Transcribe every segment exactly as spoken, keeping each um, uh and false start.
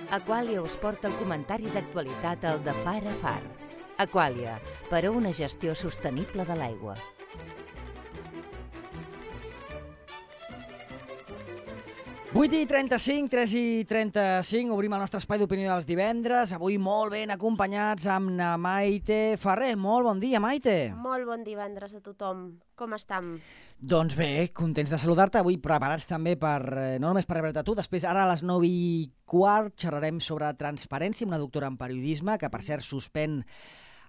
Aquàlia us porta el comentari d'actualitat al de Far a Far. Aquàlia, per a una gestió sostenible de l'aigua. vuit i trenta-cinc, tres i trenta-cinc, obrim el nostre espai d'opinió dels divendres. Avui molt ben acompanyats amb na Maite Ferrer. Molt bon dia, Maite. Molt bon divendres a tothom. Com estem? Doncs bé, contents de saludar-te. Avui preparats també per, no només per rebre'te tu, després ara a les nou i quart xerrarem sobre transparència amb una doctora en periodisme, que per cert suspèn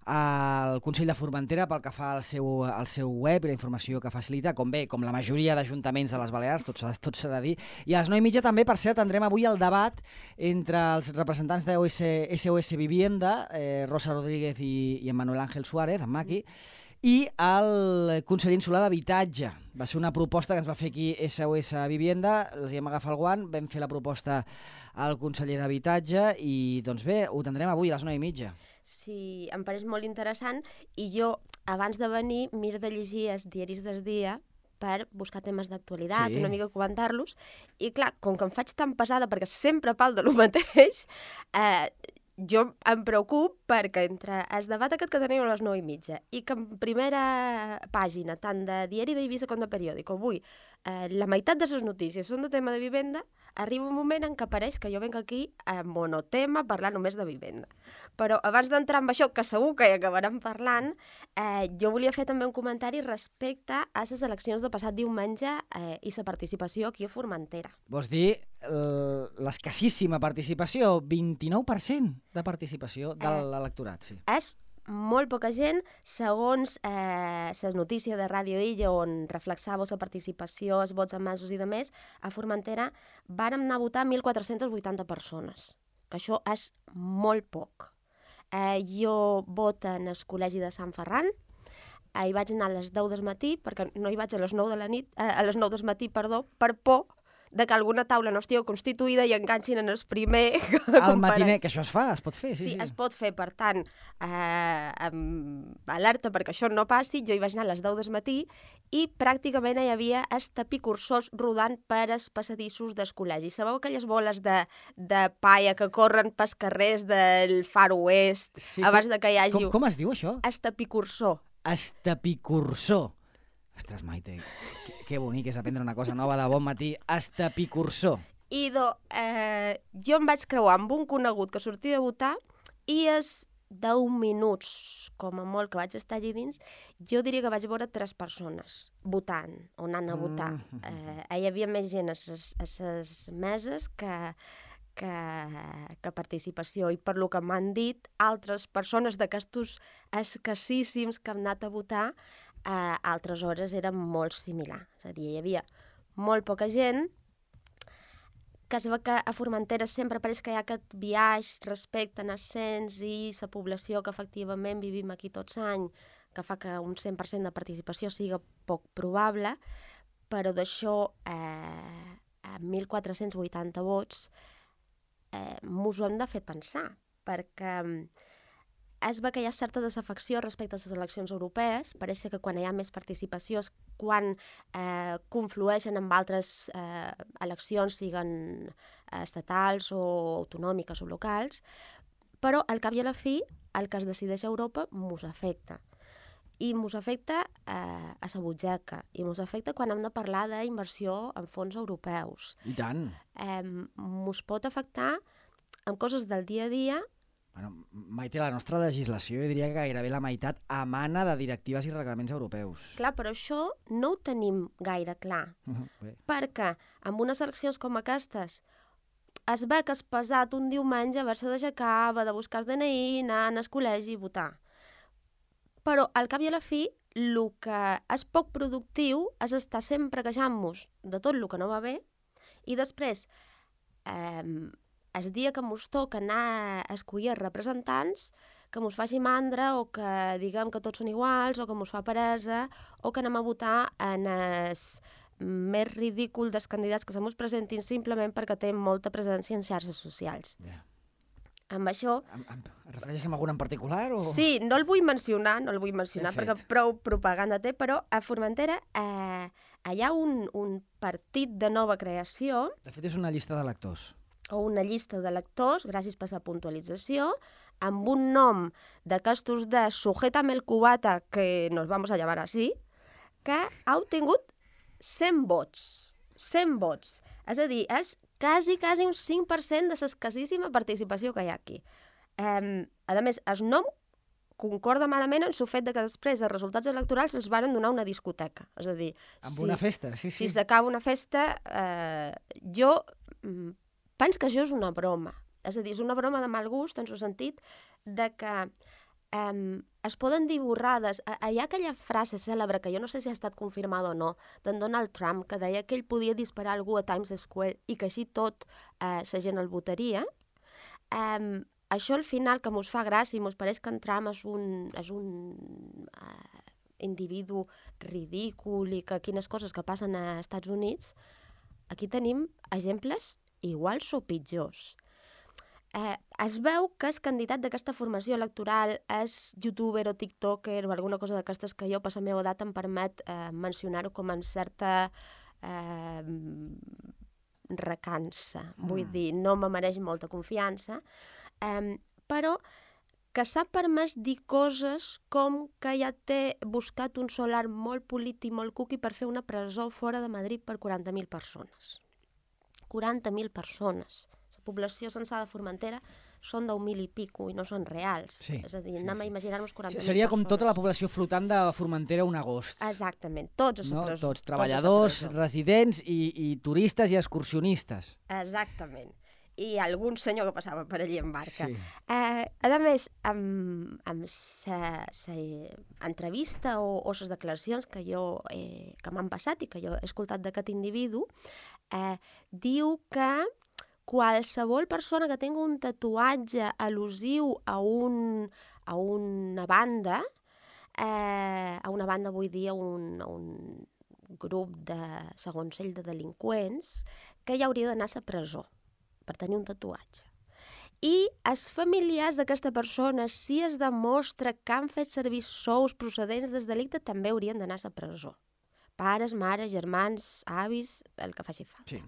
al Consell de Formentera pel que fa al seu, al seu web i la informació que facilita, com bé, com la majoria d'ajuntaments de les Balears, tot s'ha tot s'ha de dir. I a les nou i mitja també, per cert, tindrem avui el debat entre els representants de S O S Vivienda, eh, Rosa Rodríguez i, i en Manuel Ángel Suárez, en Maqui, i el conseller insular d'Habitatge. Va ser una proposta que ens va fer aquí S O S Vivienda, els hi hem agafat el guant, vam fer la proposta al conseller d'Habitatge i, doncs bé, ho tindrem avui a les nou i mitja. Sí, em pareix molt interessant i jo, abans de venir, miro de llegir els diaris del dia per buscar temes d'actualitat, Sí. una mica comentar-los, i clar, com que em faig tan pesada perquè sempre parlo de lo mateix, eh, jo em preocup perquè entre el debat aquest que tenim a les nou i mitja i que en primera pàgina, tant de Diari d'Eivissa com de Periòdico, avui eh, la meitat de les notícies són de tema de vivenda, arriba un moment en què pareix que jo venc aquí a monotema a parlar només de vivenda. Però abans d'entrar en això, que segur que hi acabarem parlant, eh, jo volia fer també un comentari respecte a les eleccions de passat diumenge eh, i la participació aquí a Formentera. Vols dir l'escassíssima participació, vint-i-nou per cent de participació de Eh, l'electorat, sí. És molt poca gent, segons eh, les notícies de Ràdio Illa, on reflexava la participació, els vots emesos i de més, a Formentera vàrem anar a votar mil quatre-cents vuitanta persones, que això és molt poc. Eh, jo voto en el col·legi de Sant Ferran, eh, hi vaig anar a les deu del matí, perquè no hi vaig a les nou de la nit, eh, a les nou del matí, perdó, per por de que alguna taula no estigui constituïda i enganxin en el primer... Al matiner, que això es fa, es pot fer, sí, Sí, sí. es pot fer, per tant, eh, amb alerta perquè això no passi, jo hi vaig anar a les deu del matí i pràcticament hi havia els tapicursors rodant per els passadissos del col·legi. Sabeu aquelles boles de, de paia que corren pels carrers del Far Oest Sí, abans de que hi hagi... Com, com es diu això? El tapicursor. Estapicursor. Ostres, Maite, que, que bonic és aprendre una cosa nova de bon matí. Estapicursor. I do, eh, jo em vaig creuar amb un conegut que sortia de votar i els deu minuts, com a molt, que vaig estar allí dins, jo diria que vaig veure tres persones votant, o anant a votar. Mm. Eh, hi havia més gent a les meses que, que, que participació, i per lo que m'han dit, altres persones d'aquestos escassíssims que han anat a votar, a eh, altres hores eren molt similar. És a dir, hi havia molt poca gent, que es veu que a Formentera sempre pareix que hi ha aquest biaix respecte en ascens i la població que efectivament vivim aquí tots any, que fa que un cent per cent de participació siga poc probable, però d'això eh, a mil quatre-cents vuitanta vots eh, mos ho hem de fer pensar, perquè es veu que hi ha certa desafecció respecte a les eleccions europees. Pareix que quan hi ha més participació és quan eh, conflueixen amb altres eh, eleccions, siguen estatals o autonòmiques o locals, però al cap i a la fi el que es decideix a Europa mos afecta. I mos afecta eh, a la butxaca, i mos afecta quan hem de parlar d'inversió en fons europeus. I tant. Eh, mos pot afectar en coses del dia a dia. Bueno, Maite, la nostra legislació, jo diria que gairebé la meitat emana de directives i reglaments europeus. Clar, però això no ho tenim gaire clar, Uh, bé. perquè amb unes eleccions com aquestes es ve que és pesat un diumenge haver-se d'aixecar, haver de buscar el D N I, anar al col·legi i votar. Però al cap i a la fi, el que és poc productiu és estar sempre queixant-nos de tot el que no va bé i després eh, el dia que mos toca anar a escollir representants, que mos faci mandra o que diguem que tots són iguals o que mos fa peresa o que anem a votar en el més ridícul dels candidats que se mos presentin simplement perquè tenen molta presència en xarxes socials. Ja. Amb això... Em, em, et refereixes a algun en particular? O... Sí, no el vull mencionar, no el vull mencionar Ben perquè fet. prou propaganda té, però a Formentera eh, hi ha un, un partit de nova creació. De fet, és una llista d'electors. o una llista d'electors, gràcies per la puntualització, amb un nom d'aquestos de Sujétame el cubata, que nos vamos a llamar así, que ha obtingut cent vots. cent vots. És a dir, és quasi, quasi un cinc per cent de l'escassíssima participació que hi ha aquí. Um, a més, el nom concorda malament en el fet de que després els resultats electorals els varen donar una discoteca. És a dir, amb si, una festa, sí, sí. Si s'acaba una festa, eh, jo mm, penso que això és una broma. És a dir, és una broma de mal gust, en el sentit de que eh, es poden dir borrades. Hi ha aquella frase cèlebre, que jo no sé si ha estat confirmada o no, d'en Donald Trump, que deia que ell podia disparar algú a Times Square i que així tot eh, la gent el votaria. Eh, Això al final, que mos fa gràcia i mos pareix que en Trump és un, és un uh, individu ridícul i que quines coses que passen als Estats Units, aquí tenim exemples iguals o pitjors. Eh, es veu que el candidat d'aquesta formació electoral és youtuber o tiktoker o alguna cosa d'aquestes que jo, per la meva edat, em permet eh, mencionar-ho com en certa eh, recança. Mm. Vull dir, no me mereix molta confiança, Um, però que s'ha permès dir coses com que ja té buscat un solar molt polit i molt cuqui per fer una presó fora de Madrid per quaranta mil persones. quaranta mil persones. La població censada a Formentera són deu mil i pico i no són reals. Sí, és a dir, sí, anem sí. a imaginar-nos quaranta mil Seria persones. com tota la població flotant de Formentera un agost. Exactament, tots a la no? presó. Tots, treballadors, tots residents i, i turistes i excursionistes. Exactament. I algun senyor que passava per allí en barca. Sí. Eh, a més, amb, amb sa, sa entrevista o, o les declaracions que, jo, eh, que m'han passat i que jo he escoltat d'aquest individu, eh, diu que qualsevol persona que tingui un tatuatge al·lusiu a, un, a una banda, eh, a una banda vull dir a un, a un grup de, segons ell, de delinqüents, que ja hauria d'anar a la presó per tenir un tatuatge. I els familiars d'aquesta persona, si es demostra que han fet servir sous procedents del delicte, també haurien d'anar a la presó. Pares, mares, germans, avis, el que faci falta. Sí.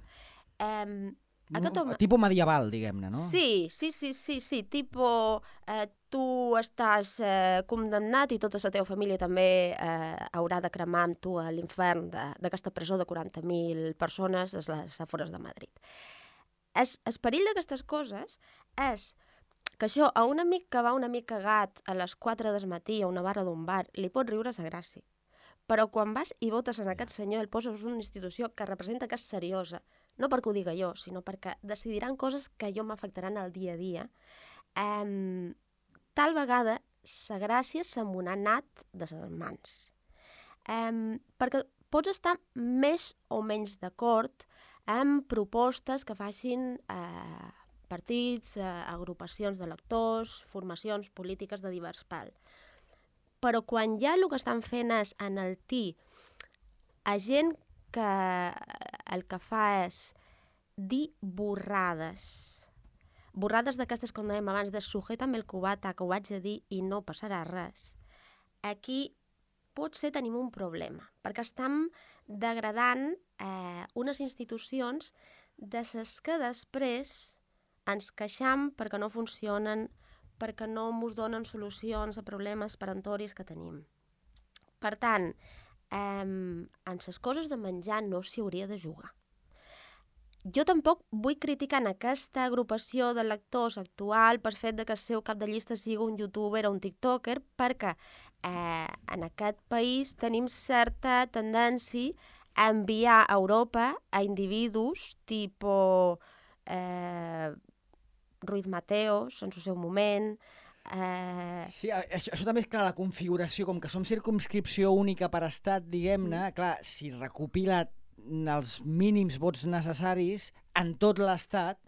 Eh, home... Tipo medieval, diguem-ne, no? Sí, sí, sí, sí, sí. Tipo, eh, tu estàs eh, condemnat i tota la teva família també eh, haurà de cremar amb tu a l'infern d'aquesta presó de quaranta mil persones a les afores de Madrid. El, el perill d'aquestes coses és que això a un amic que va una mica cagat a les quatre del matí a una barra d'un bar li pot riure sa gràcia. Però quan vas i votes en aquest senyor, el poses en una institució que representa que és seriosa, no perquè ho diga jo, sinó perquè decidiran coses que jo m'afectaran al dia a dia, eh, tal vegada sa gràcia se m'ho ha anat de les mans. Eh, perquè pots estar més o menys d'acord amb propostes que facin eh, partits, eh, agrupacions d'electors, formacions polítiques de divers pal. Però quan ja el que estan fent és enaltir a gent que el que fa és dir borrades, borrades d'aquestes, com dèiem abans, de sujétame el cubata, que ho haig de dir i no passarà res, aquí potser tenim un problema, perquè estem degradant eh, unes institucions de les que després ens queixam perquè no funcionen, perquè no ens donen solucions a problemes perentoris que tenim. Per tant, eh, en les coses de menjar no s'hi hauria de jugar. Jo tampoc vull criticar en aquesta agrupació de lectors actual per fet de que el seu cap de llista sigui un youtuber o un tiktoker, perquè eh, en aquest país tenim certa tendència a enviar a Europa a individus tipus eh, Ruiz Mateos, en el seu moment. Eh... Sí, això, això també és clar, la configuració, com que som circumscripció única per estat, diguem-ne, mm. clar, si recopila els mínims vots necessaris en tot l'estat,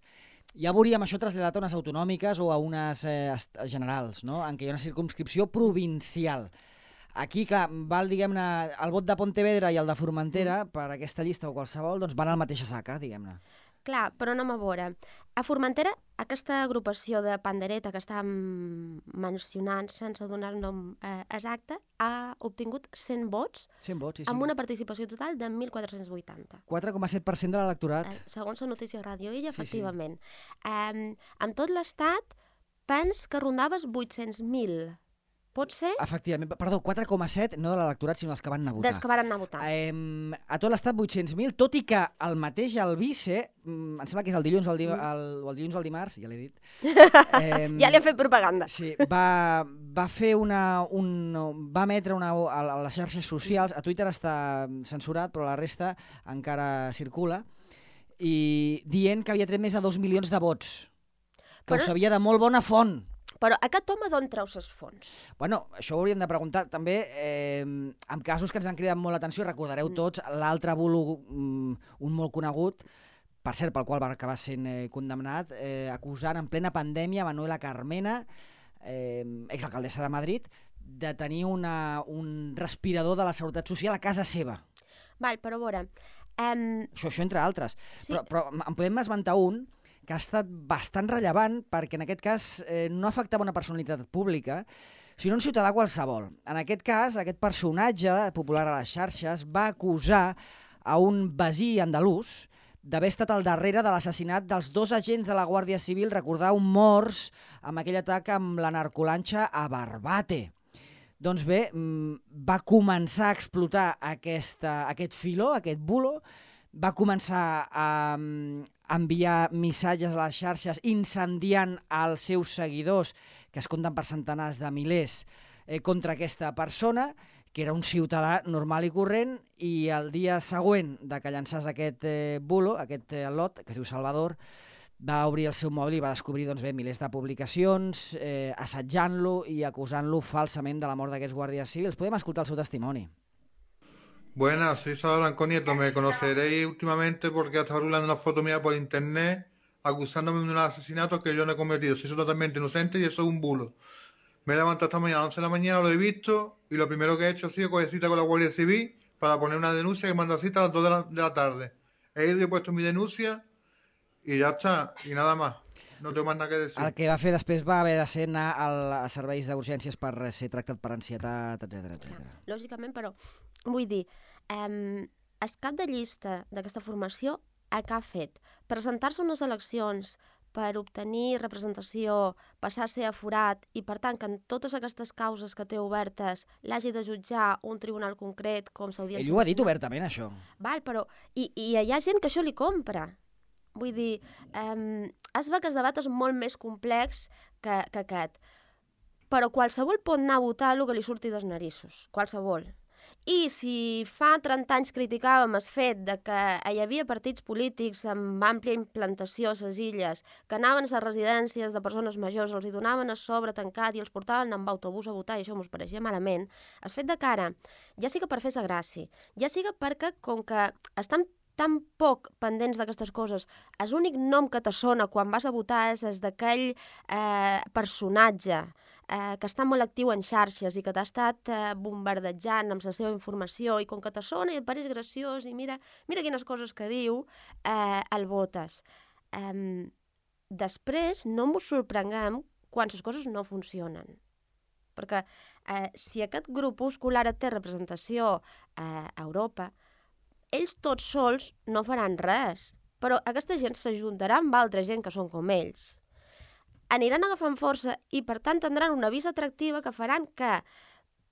ja veuríem això traslladat a unes autonòmiques o a unes eh, generals, no? En què hi ha una circumscripció provincial. Aquí, clar, val, diguem-ne, el vot de Pontevedra i el de Formentera, mm. per aquesta llista o qualsevol, doncs van al mateixa saca, diguem-ne. Clar, però anem a veure. A Formentera, aquesta agrupació de pandereta que estàvem mencionant sense donar el nom eh, exacte ha obtingut cent vots cent vots, sí, sí. amb una participació total de mil quatre-cents vuitanta. quatre coma set per cent de l'electorat. Eh, segons la notícia Ràdio Illa, Sí, sí. efectivament. Eh, amb tot l'estat, pens que rondaves vuit-cents mil. Pot ser? Efectivament, perdó, quatre coma set, no de l'electorat, sinó dels que van anar a votar. Dels que van anar a votar. Eh, a tot l'estat vuit-cents mil, tot i que el mateix el vice, mm, em sembla que és el dilluns, el, di el, el dilluns o el dimarts, ja l'he dit. Eh, ja li ha fet propaganda. Sí, va, va fer una... Un, va emetre una, a, a les xarxes socials, a Twitter està censurat, però la resta encara circula, i dient que havia tret més de dos milions de vots, que però... ho sabia de molt bona font. Però aquest home d'on treu ses fonts? Bueno, això ho hauríem de preguntar. També, eh, en casos que ens han cridat molt l'atenció, recordareu tots l'altre bulo, mm, un molt conegut, per cert, pel qual va acabar sent eh, condemnat, eh, acusant en plena pandèmia Manuela Carmena, eh, exalcaldessa de Madrid, de tenir una, un respirador de la Seguretat Social a casa seva. Val, però a veure... Um... Això, això entre altres. Sí. Però, però en podem esmentar un que ha estat bastant rellevant perquè en aquest cas eh, no afectava una personalitat pública, sinó un ciutadà qualsevol. En aquest cas, aquest personatge popular a les xarxes va acusar a un veí andalús d'haver estat al darrere de l'assassinat dels dos agents de la Guàrdia Civil, recordeu, morts amb aquell atac amb la narcolanxa a Barbate. Doncs bé, va començar a explotar aquesta, aquest filó, aquest bulo, va començar a enviar missatges a les xarxes incendiant els seus seguidors, que es compten per centenars de milers, eh, contra aquesta persona, que era un ciutadà normal i corrent, i el dia següent de que llançàs aquest eh, bulo, aquest eh, lot, que es diu Salvador, va obrir el seu mòbil i va descobrir doncs, bé, milers de publicacions, eh, assetjant-lo i acusant-lo falsament de la mort d'aquests guàrdies civils. Podem escoltar el seu testimoni. Buenas, soy Salvador Blanco Nieto. Me conoceréis últimamente porque hasta rulando una foto mía por internet acusándome de un asesinato que yo no he cometido. Soy totalmente inocente y eso es un bulo. Me he levantado esta mañana a las once de la mañana, lo he visto y lo primero que he hecho ha sido coger cita con la Guardia Civil para poner una denuncia que manda cita a las dos de la, de la tarde. He ido y he puesto mi denuncia i ja està, i nada más. No tengo más nada que decir. El que va fer després va haver de ser anar al, a serveis d'urgències per ser tractat per ansietat, etcètera, etcètera. Lògicament, però, vull dir, eh, el cap de llista d'aquesta formació, a què ha fet? Presentar-se a unes eleccions per obtenir representació, passar a ser aforat i, per tant, que en totes aquestes causes que té obertes l'hagi de jutjar un tribunal concret com s'Audiència Nacional. Ell ho ha dit obertament, això. Val, però... I, i hi ha gent que això li compra. Vull dir, eh, es veu que el debat és molt més complex que, que aquest. Però qualsevol pot anar a votar el que li surti dels narissos. Qualsevol. I si fa trenta anys criticàvem el fet de que hi havia partits polítics amb àmplia implantació a les illes que anaven a les residències de persones majors, els hi donaven a sobre tancat i els portaven amb autobús a votar i això mos pareixia malament, el fet de cara, ja siga per fer-se gràcia, ja siga perquè, com que estan tan poc pendents d'aquestes coses, el únic nom que te sona quan vas a votar és el d'aquell eh, personatge eh, que està molt actiu en xarxes i que t'ha estat eh, bombardejant amb la seva informació i com que te sona i et pareix graciós i mira, mira quines coses que diu, eh, el votes. Eh, després no ens sorprenguem quan les coses no funcionen. Perquè eh, si aquest grupúscul ara té representació eh, a Europa, ells tots sols no faran res, però aquesta gent s'ajuntarà amb altra gent que són com ells. Aniran agafant força i, per tant, tindran una visa atractiva que faran que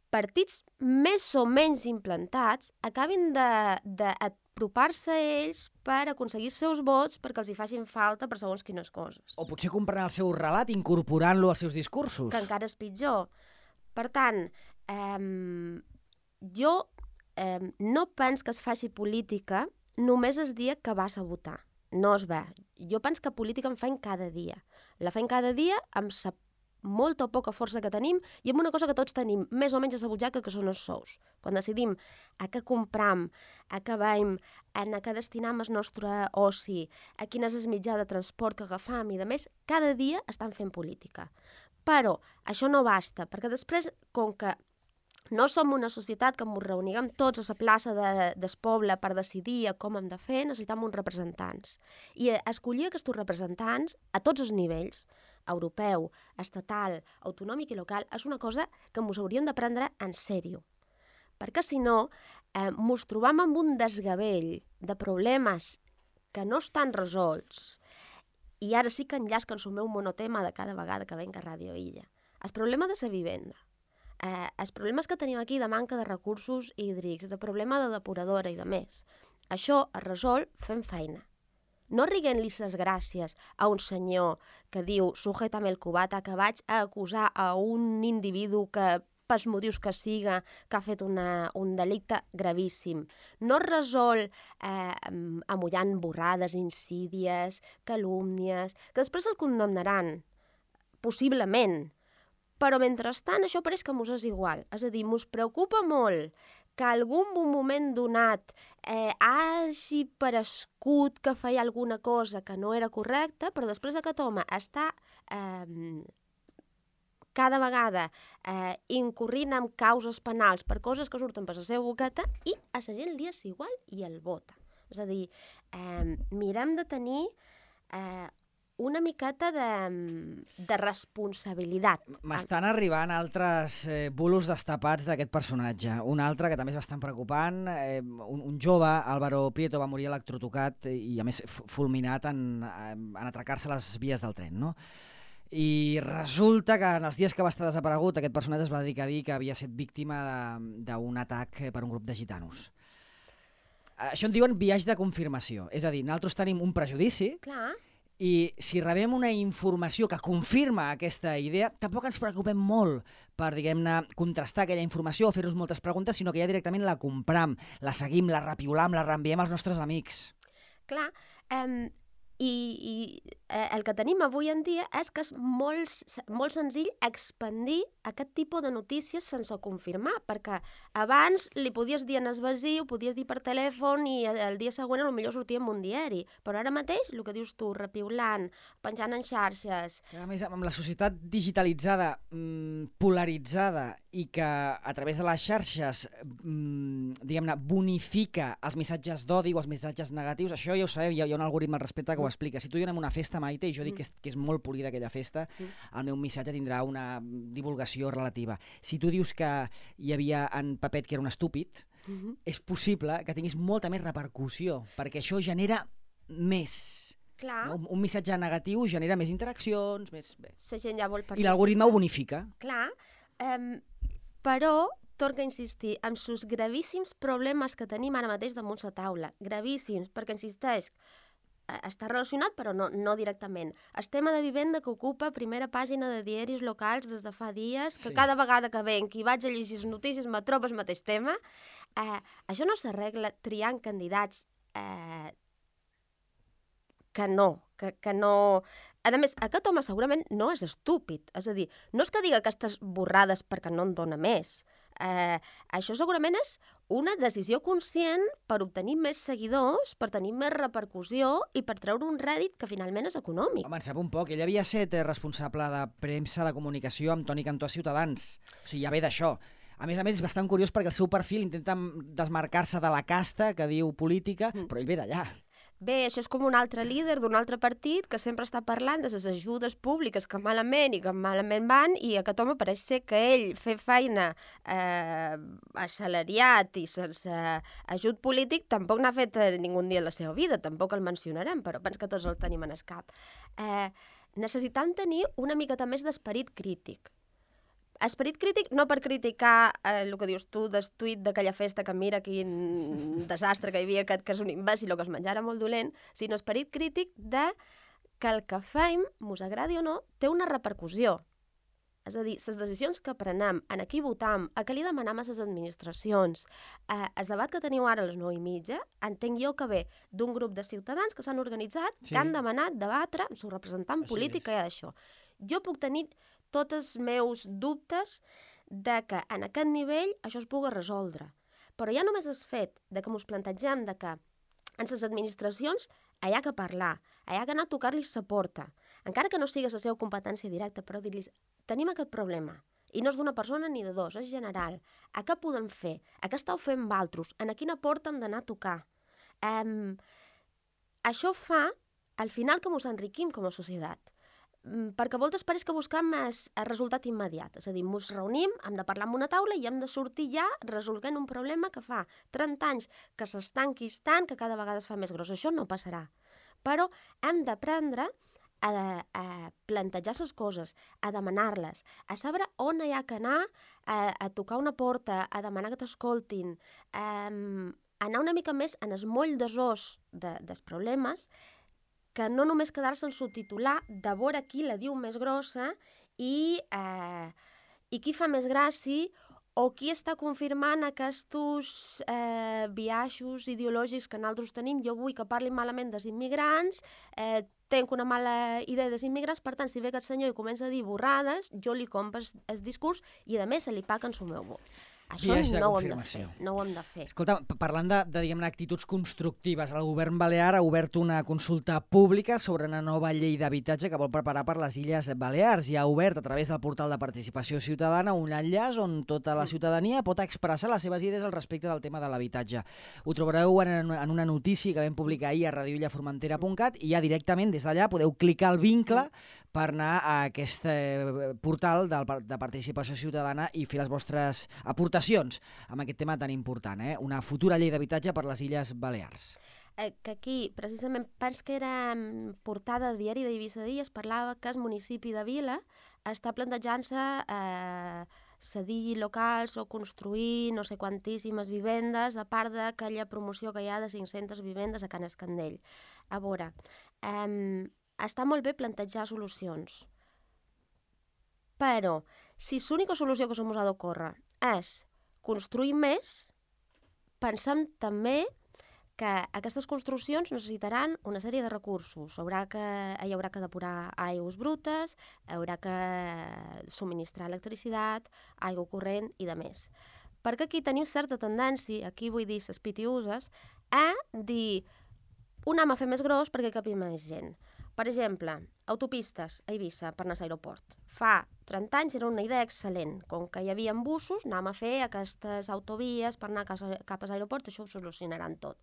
partits més o menys implantats acabin d'apropar-se a ells per aconseguir els seus vots perquè els hi facin falta per segons quines coses. O potser comprant el seu relat incorporant-lo als seus discursos. Que encara és pitjor. Per tant, eh, jo eh, no penso que es faci política només el dia que vas a votar. No es va. Jo penso que política en faim cada dia. La faim cada dia amb la molta o poca força que tenim i amb una cosa que tots tenim més o menys a la butxaca, que són els sous. Quan decidim a què compram, a què veiem, a què destinam el nostre oci, a quin és el mitjà de transport que agafam i de més, cada dia estan fent política. Però això no basta, perquè després, com que no som una societat que ens reuniguem tots a la plaça de, del poble per decidir com hem de fer, necessitem uns representants. I escollir aquests representants a tots els nivells, europeu, estatal, autonòmic i local, és una cosa que ens hauríem de prendre en sèrio. Perquè si no, eh, ens trobam amb un desgavell de problemes que no estan resolts. I ara sí que enllasquen el meu monotema de cada vegada que venc a Ràdio Illa. El problema de la vivenda. Eh, els problemes que tenim aquí de manca de recursos hídrics, de problema de depuradora i de més. Això es resol fent feina. No riguent-li les gràcies a un senyor que diu sujétame el cubata, que vaig a acusar a un individu que, pels motius que siga, que ha fet una, un delicte gravíssim. No es resol eh, amollant borrades, insídies, calúmnies, que després el condemnaran, possiblement. Però mentrestant això pareix que mos és igual. És a dir, mos preocupa molt que algun moment donat eh, hagi parescut que feia alguna cosa que no era correcta, però després aquest home està eh, cada vegada eh, incorrint en causes penals per coses que surten per la seva boqueta i a la gent li és igual i el vota. És a dir, eh, mirem de tenir eh, una miqueta de, de responsabilitat. M'estan arribant altres eh, bulos destapats d'aquest personatge. Un altre que també és bastant preocupant. Eh, un, un jove, Álvaro Prieto, va morir electrotocat i, a més, fulminat en, en atracar-se a les vies del tren, no? I resulta que en els dies que va estar desaparegut, aquest personatge es va dedicar a dir que havia estat víctima d'un atac per un grup de gitanos. Això en diuen biaix de confirmació. És a dir, nosaltres tenim un prejudici. Clar. I si rebem una informació que confirma aquesta idea, tampoc ens preocupem molt per, diguem-ne, contrastar aquella informació o fer-nos moltes preguntes, sinó que ja directament la compram, la seguim, la repiolam, la reenviem als nostres amics. Clar, um, i, i eh, el que tenim avui en dia és que és molt, molt senzill expandir aquest tipus de notícies sense confirmar, perquè abans li podies dir en el veí, ho podies dir per telèfon i el dia següent potser sortia en un diari, però ara mateix, el que dius tu, repiulant, penjant en xarxes... A més, amb la societat digitalitzada, mmm, polaritzada i que a través de les xarxes, mmm, diguem-ne, bonifica els missatges d'odi o els missatges negatius, això ja ho sabeu, hi ha, hi ha un algoritme al respecte que ho explica. Si tu i jo anem a una festa, Maite, i jo dic que és, que és molt polida aquella festa, el meu missatge tindrà una divulgació relativa. Si tu dius que hi havia en Pepet que era un estúpid, uh-huh. és possible que tinguis molta més repercussió, perquè això genera més. Clar. No? Un, un missatge negatiu genera més interaccions, més... Bé. La gent ja vol participar. I l'algoritme ho bonifica. Clar, um, però torna a insistir en els gravíssims problemes que tenim ara mateix damunt la taula. Gravíssims, perquè insisteix, està relacionat, però no, no directament. El tema de vivenda que ocupa primera pàgina de diaris locals des de fa dies, que sí. Cada vegada que venc i vaig a llegir les notícies me trobo el mateix tema. Eh, això no s'arregla triant candidats eh, que no, que, que no... A més, aquest home segurament no és estúpid. És a dir, no és que diga aquestes borrades perquè no en dona més. Eh, això segurament és una decisió conscient per obtenir més seguidors, per tenir més repercussió i per treure un rèdit que finalment és econòmic. Home, en sap un poc. Ell havia estat responsable de premsa de comunicació amb Toni Cantó a Ciutadans. O sigui, ja ve d'això. A més a més, és bastant curiós perquè el seu perfil intenta desmarcar-se de la casta que diu política, mm. però ell ve d'allà. Bé, això és com un altre líder d'un altre partit que sempre està parlant de les ajudes públiques que malament i que malament van, i aquest home pareix ser que ell fer feina eh, assalariat i sense ajut polític tampoc n'ha fet ningú dia en la seva vida, tampoc el mencionarem, però penso que tots el tenim en el cap. Eh, necessitam tenir una miqueta més d'esperit crític. Esperit crític no per criticar eh, el que dius tu del tuit d'aquella festa que mira quin desastre que hi havia, aquest que és un imbècil o que es menjara molt dolent, sinó esperit crític de que el que fem, mos agradi o no, té una repercussió. És a dir, les decisions que prenem, en qui votam, a què li demanem a les administracions, eh, el debat que teniu ara a les nou i mitja, entenc jo que ve d'un grup de ciutadans que s'han organitzat, sí. que han demanat debatre amb el seu representant Així polític que hi ha d'això. Jo puc tenir tots els meus dubtes de que en aquest nivell això es pugui resoldre. Però ja només és fet de que ens plantegem de que en les administracions hi ha que parlar, hi ha que anar a tocar-los la porta, encara que no sigui la seva competència directa, però dir-los, tenim aquest problema, I no és d'una persona ni de dos, és general. A què podem fer? A què esteu fent valtros? En a quina porta hem d'anar a tocar? Um, això fa, al final, que ens enriquim com a societat. Perquè a voltes pareix que busquem el resultat immediat. És a dir, ens reunim, hem de parlar en una taula i hem de sortir ja resolguent un problema que fa trenta anys que s'està enquistant, que cada vegada es fa més gros. Això no passarà. Però hem d'aprendre a, a plantejar les coses, a demanar-les, a saber on hi ha que anar, a, a tocar una porta, a demanar que t'escoltin, a, a anar una mica més en el moll desós de, dels problemes, que no només quedar-se en subtitular de veure qui la diu més grossa i, eh, i qui fa més gràcia o qui està confirmant aquests eh, biaixos ideològics que nosaltres tenim. Jo vull que parlin malament dels immigrants, eh, tenc una mala idea dels immigrants, per tant, si ve aquest senyor i comença a dir borrades, jo li compro el discurs i, a més, se li paga en el meu vot. Això no ho, hem de fer, no ho hem de fer. Escolta, parlant de, de diguem-ne, actituds constructives, el govern balear ha obert una consulta pública sobre una nova llei d'habitatge que vol preparar per les Illes Balears i ha obert a través del portal de participació ciutadana un enllaç on tota la ciutadania pot expressar les seves idees al respecte del tema de l'habitatge. Ho trobareu en, en una notícia que vam publicar ahir a radio illa formentera punt cat i ja directament des d'allà podeu clicar el vincle per anar a aquest portal de, de participació ciutadana i fer les vostres aportacions amb aquest tema tan important, eh? Una futura llei d'habitatge per les Illes Balears. Eh, que aquí, precisament, penso que era portada de diari d'Eivissa Dia, es parlava que el municipi de Vila està plantejant-se eh, cedir locals o construir no sé quantíssimes vivendes, a part d'aquella promoció que hi ha de cinc-centes vivendes a Can Escandell. A veure, eh, està molt bé plantejar solucions, però si l'única solució que se mos ha d'ocórrer és construir més, pensem també que aquestes construccions necessitaran una sèrie de recursos. Haurà que, hi haurà que depurar aigües brutes, haurà que subministrar electricitat, aigua corrent i de més. Perquè aquí tenim certa tendència, aquí vull dir les pitiuses, a dir un anem a fer més gros perquè capi més gent. Per exemple, autopistes a Eivissa per anar a l'aeroport. Fa trenta anys era una idea excel·lent. Com que hi havia busos, anem a fer aquestes autovies per anar cap a l'aeroport, això ho solucionaran tot.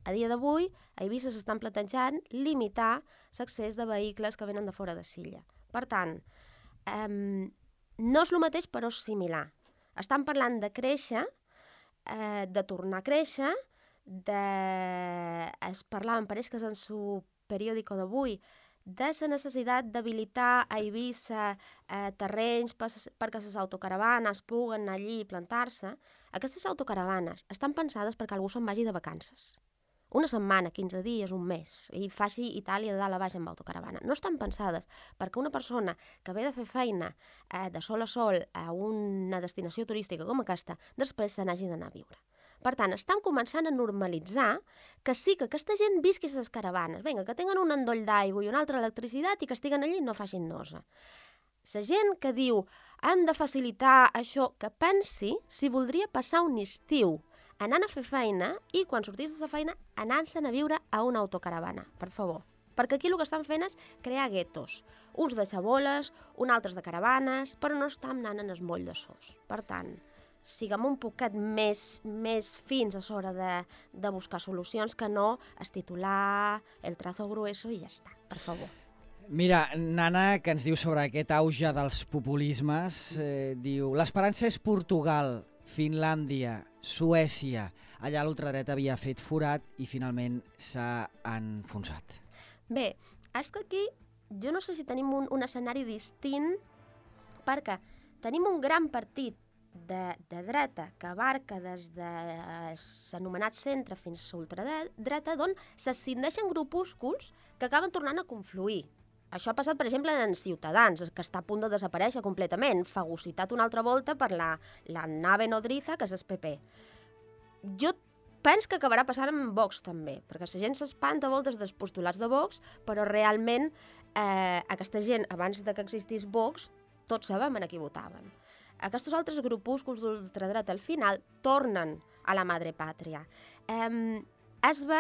A dia d'avui, a Eivissa s'estan plantejant limitar l'accés de vehicles que venen de fora de Silla. Per tant, eh, no és el mateix, però és similar. Estan parlant de créixer, eh, de tornar a créixer, de... es parlava, em pareix que és en su periòdico d'avui, de la necessitat d'habilitar a Eivissa eh, terrenys per, perquè les autocaravanes puguen anar allí i plantar-se. Aquestes autocaravanes estan pensades perquè algú se'n vagi de vacances. Una setmana, quinze dies, un mes, i faci Itàlia de dalt a baix amb autocaravana. No estan pensades perquè una persona que ve de fer feina eh, de sol a sol a una destinació turística com aquesta, després se n'hagi d'anar a viure. Per tant, estan començant a normalitzar que sí que aquesta gent visqui a les caravanes, vinga, que tenen un endoll d'aigua i una altra electricitat i que estiguen allí i no facin nosa. La gent que diu hem de facilitar això, que pensi si voldria passar un estiu anant a fer feina i quan sortís de la feina anant-se'n a viure a una autocaravana, per favor. Perquè aquí el que estan fent és crear guetos, uns de xaboles, uns altres de caravanes, però no estan anant en el moll de sos. Per tant, siguem un poquet més, més fins a l'hora de, de buscar solucions que no es titular el trazo grueso i ja està, per favor. Mira, Nana, que ens diu sobre aquest auge dels populismes, eh, diu l'esperança és Portugal, Finlàndia, Suècia. Allà l'ultradreta havia fet forat i finalment s'ha enfonsat. Bé, és que aquí jo no sé si tenim un, un escenari distint perquè tenim un gran partit De, de dreta que abarca des de l'anomenat centre fins a l'ultradreta, d'on s'ascindeixen grupúsculs que acaben tornant a confluir. Això ha passat, per exemple, en Ciutadans, que està a punt de desaparèixer completament, fagocitat una altra volta per la, la nave nodriza, que és el P P. Jo penso que acabarà passant amb Vox també, perquè la gent s'espanta a voltes dels postulats de Vox, però realment eh, aquesta gent, abans de que existís Vox, tots sabem en qui votaven. Aquests altres grupúsculs d'ultradreta al final tornen a la madre pàtria. Eh, es ve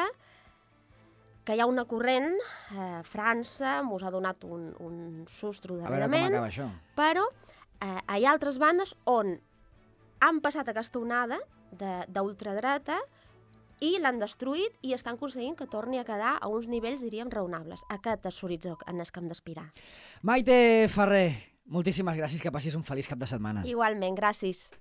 que hi ha una corrent, eh, França mos ha donat un, un sustro darrerament, a veure com acaba això. Però eh, hi ha altres bandes on han passat aquesta onada d'ultradreta i l'han destruït i estan aconseguint que torni a quedar a uns nivells, diríem, raonables. Aquest és l'horitzó en el que hem d'aspirar. Maite Ferrer, moltíssimes gràcies, que passis un feliç cap de setmana. Igualment, gràcies.